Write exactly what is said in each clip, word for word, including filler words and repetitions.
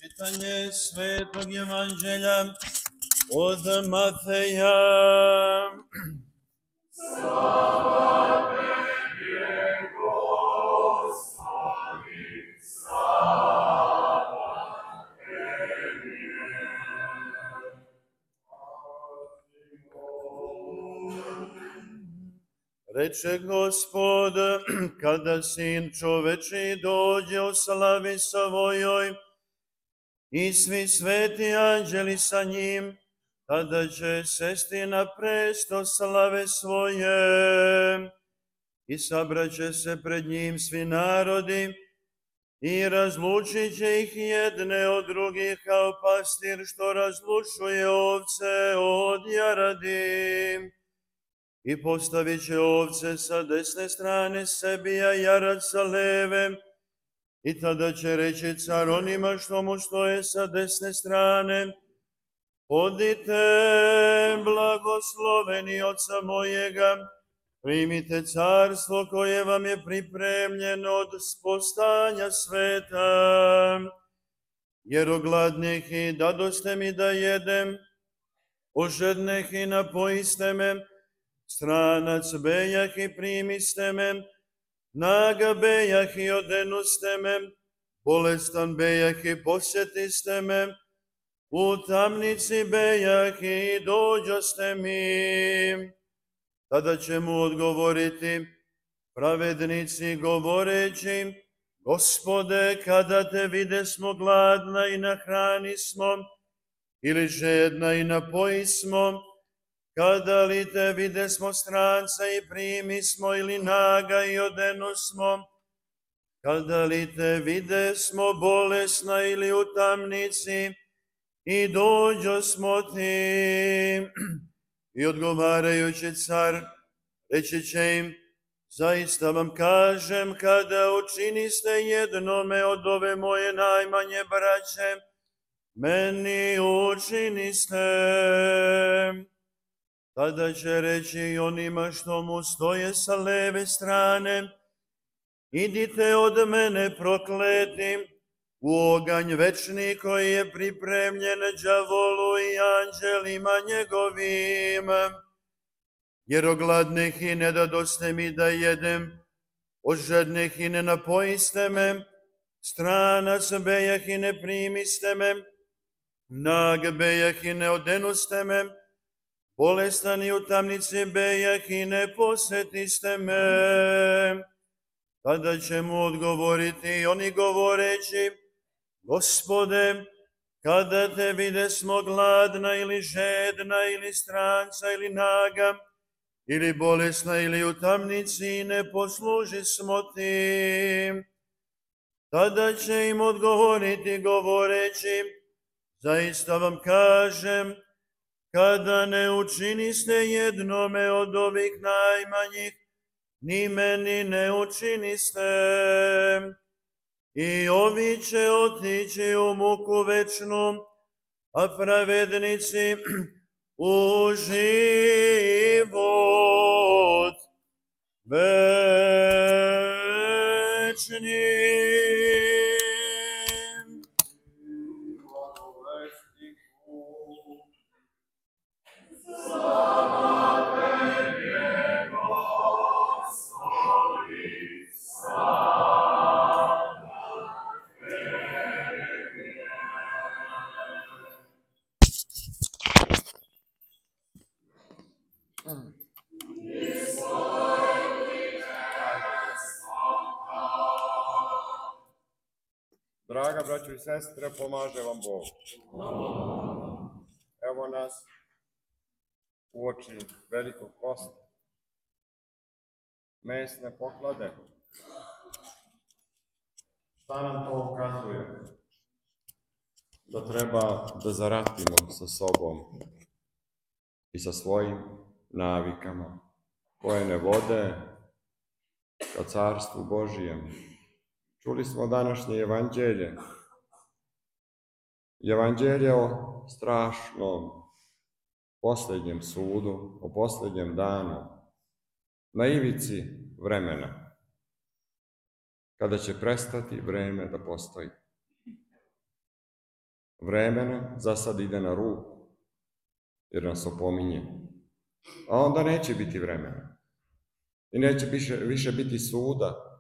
Čitanje Svetog Evanđelja od Mateja. Slava tebi, Gospodi, slava tebi. Reče Gospod, kada Sin čoveči dođe u slavi svojoj i svi sveti anđeli sa njim, tada će sesti na presto slave svoje i sabraće se pred njim svi narodi i razlučit će ih jedne od drugih kao pastir što razlučuje ovce od jaradi. I postavit će ovce sa desne strane sebi, a jarad sa leve. I tada će reći car onima što mu stoje sa desne strane: odite, blagosloveni oca mojega, primite carstvo koje vam je pripremljeno od spostanja sveta. Jer ogladnih i dadoste mi da jedem, ožedneh i napojiste me, stranac bejah i primiste me, naga bejah i odenuste me, bolestan bejah i posjetiste me, u tamnici bejah i dođoste mi. Tada će mu odgovoriti pravednici govoreći: Gospode, kada te videsmo gladna i nahranismo, ili žedna i napojismo? Kada li te videsmo stranca i primismo, ili naga i odenusmo? Kada li te videsmo bolesna ili u tamnici i dođosmo ti? I odgovarajući car reći će im: zaista vam kažem, kada učiniste jednome od ove moje najmanje braće, meni učiniste. Tada će reći i onima što mu stoje sa leve strane: idite od mene prokleti u oganj večni koji je pripremljen đavolu i anđelima njegovim. Jer ogladnih i ne dadoste mi da jedem, ožednih i ne napojiste me, stranac bejah i ne primiste me, nag bejah i ne odenuste me, bolestan i u tamnici bejah i ne posjetiste me. Tada će mu odgovoriti oni govoreći: Gospode, kada te videsmo gladna ili žedna ili stranca ili naga ili bolesna ili u tamnici, ne poslužismo ti. Tada će im odgovoriti govoreći: zaista vam kažem, kada ne učiniste jednome od ovih najmanjih, ni meni ne učiniste. I ovi će otići u muku večnu, a pravednici u život večni. Slava tebi, Gospodi, slava tebi. Draga braćo i sestre, pomaže vam Bog. Evo nas uoči velikog posta, mesne poklade. Šta nam to ukazuje? Da treba da zaratimo sa sobom i sa svojim navikama, koje ne vode ka carstvu Božijem. Čuli smo današnje evanđelje. Evanđelje o strašnom posljednjem sudu, o posljednjem danu, na ivici vremena, kada će prestati vreme da postoji. vremena za sad ide na ruku, jer nas opominje. A onda neće biti vremena. I neće više, više biti suda.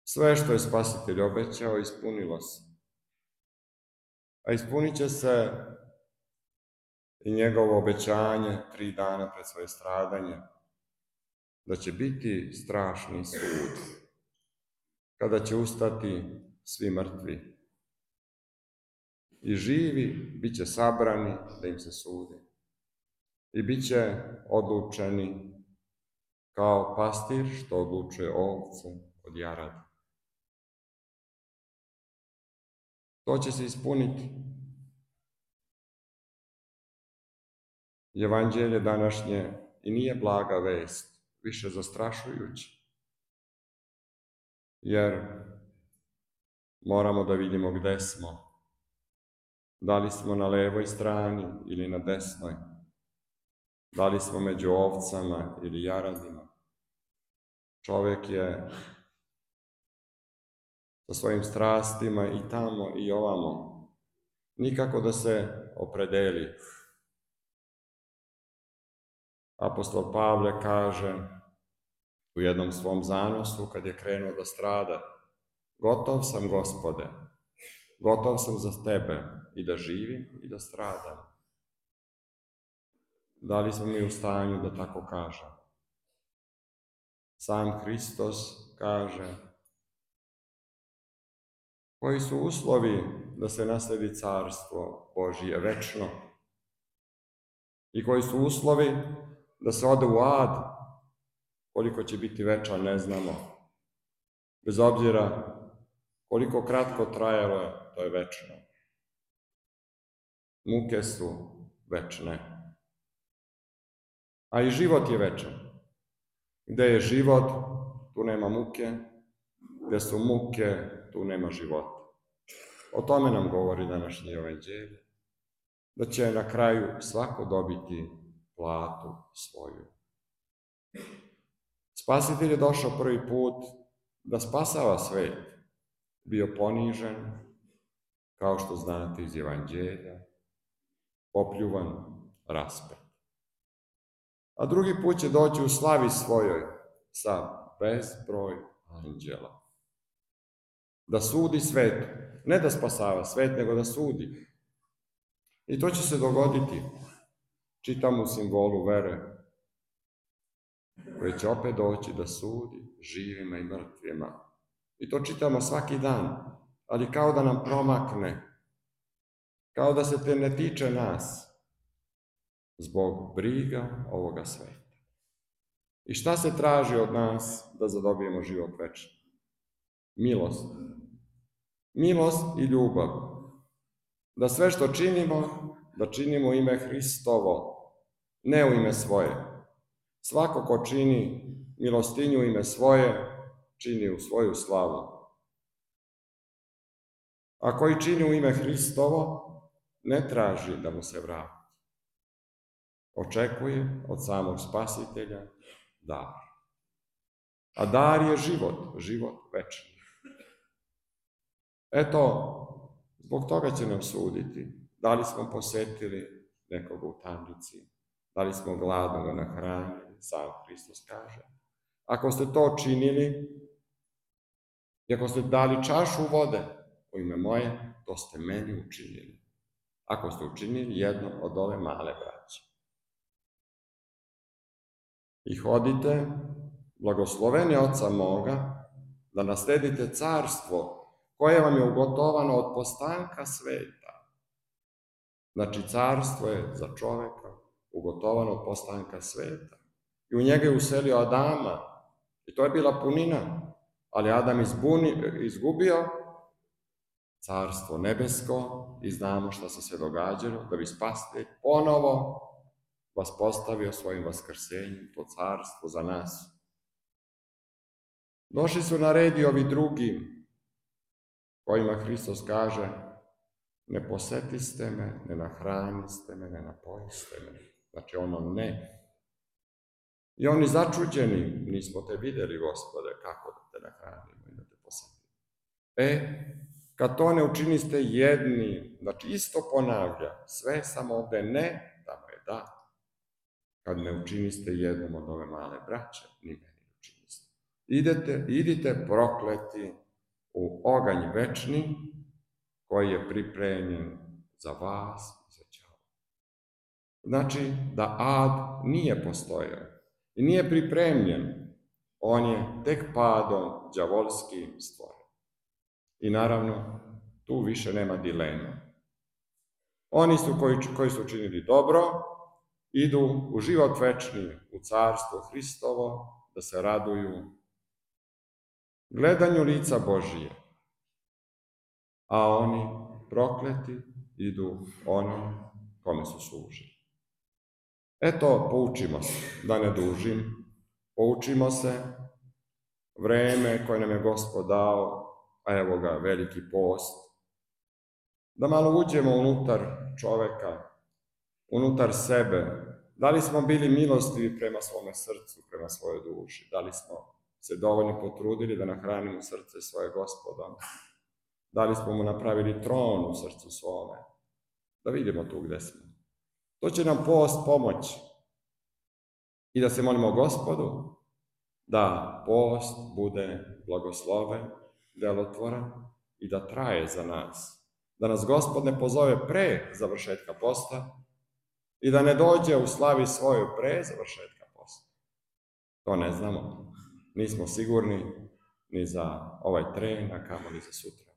Sve što je Spasitelj obećao, ispunilo se. A ispunit će se i njegovo obećanje tri dana pred svoje stradanje, da će biti strašni sud, kada će ustati svi mrtvi. I živi bit će sabrani da im se sudi. I bit će odlučeni kao pastir što odlučuje ovce od jarada. To će se ispuniti. Evanđelje današnje i nije blaga vest, više zastrašujuće. Jer moramo da vidimo gde smo. Da li smo na levoj strani ili na desnoj. Da li smo među ovcama ili jaradima. Čovjek je sa svojim strastima i tamo i ovamo. Nikako da se opredeli. Apostol Pavle kaže u jednom svom zanosu, kad je krenuo da strada, gotov sam, Gospode, gotov sam za tebe i da živim i da stradam. Da li smo mi u stanju da tako kažem? Sam Hristos kaže, koji su uslovi da se nasledi carstvo Božije večno i koji su uslovi da se ode u ad, koliko će biti večan ne znamo. Bez obzira koliko kratko trajalo je, to je večno. Muke su večne. A i život je večan. Gde je život, tu nema muke. Gde su muke, tu nema života. O tome nam govori današnji evanđelje. Da će na kraju svako dobiti platu svoju. Spasitelj je došao prvi put da spasava svet. Bio ponižen, kao što znate iz evanđelja, popljuvan, raspet. A drugi put će doći u slavi svojoj sa bezbroj anđela. Da sudi svet, ne da spasava svet, nego da sudi. I to će se dogoditi. Čitam u simbolu vere, koji će opet doći da sudi živima i mrtvima. I to čitamo svaki dan, ali kao da nam promakne, kao da se te ne tiče nas, zbog briga ovoga sveta. I šta se traži od nas da zadobijemo život večni? Milost. Milost i ljubav. Da sve što činimo, da činimo u ime Hristovo, ne u ime svoje. Svako ko čini milostinju u ime svoje, čini u svoju slavu. A koji čini u ime Hristovo, ne traži da mu se vrati. Očekuje od samog Spasitelja dar. A dar je život, život večni. Eto, zbog toga će nam suditi. Da li smo posetili nekoga u tamnici, da li smo gladnoga nahranili, sam Hristos kaže. Ako ste to činili, i ako ste dali čašu vode u ime moje, to ste meni učinili. Ako ste učinili jedno od ove male braće. I hodite, blagosloveni Oca moga, da nasledite carstvo koje vam je ugotovano od postanka sveta. Znači, carstvo je za čoveka ugotovano od postanka sveta. I u njega je uselio Adama. I to je bila punina. Ali Adam izbuni, izgubio carstvo nebesko i znamo šta se sve događalo, da bi Spasitelj ponovo vas postavio svojim vaskrsenjem, to carstvo za nas. Došli su na red i ovi drugi, kojima Hristos kaže, ne posetiste me, ne nahraniste me, ne napojiste me. Znači ono ne. I oni začuđeni, nismo te vidjeli, Gospode, kako da te nahranimo i da te posetimo. E, kad to ne učiniste jedni, znači isto ponavlja, sve samo ovde ne, tamo je da. Kad ne učiniste jednom od ove male braće, ni meni učiniste. Idete, idite prokleti u oganj večni, koji je pripremljen za vas i za đavola. Znači da ad nije postojao i nije pripremljen, on je tek padom đavolski stvoren. I naravno, tu više nema dilema. Oni su koji, koji su učinili dobro, idu u život večni, u carstvo Hristovo, da se raduju gledanju lica Božije. A oni, prokleti, idu onom kome su služili. Eto, poučimo se, da ne dužim, poučimo se, vreme koje nam je Gospod dao, a evo ga, veliki post, da malo uđemo unutar čoveka, unutar sebe, da li smo bili milostivi prema svome srcu, prema svojoj duši, da li smo se dovoljno potrudili da nahranimo srce svoje Gospoda, da li smo mu napravili tron u srcu svome, da vidimo tu gde smo. To će nam post pomoći i da se molimo Gospodu da post bude blagosloven, delotvoran i da traje za nas. Da nas Gospod ne pozove pre završetka posta i da ne dođe u slavi svojoj pre završetka posta. To ne znamo. Nismo sigurni ni za ovaj tren, a kamoli za sutra.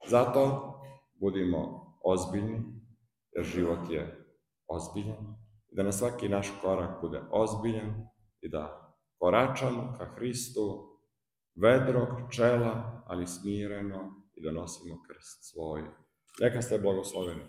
Zato budimo ozbiljni, jer život je ozbiljan, i da na svaki naš korak bude ozbiljan i da koračamo ka Hristu vedrog čela, ali smireno, i da nosimo krst svoj. Neka ste blagosloveni.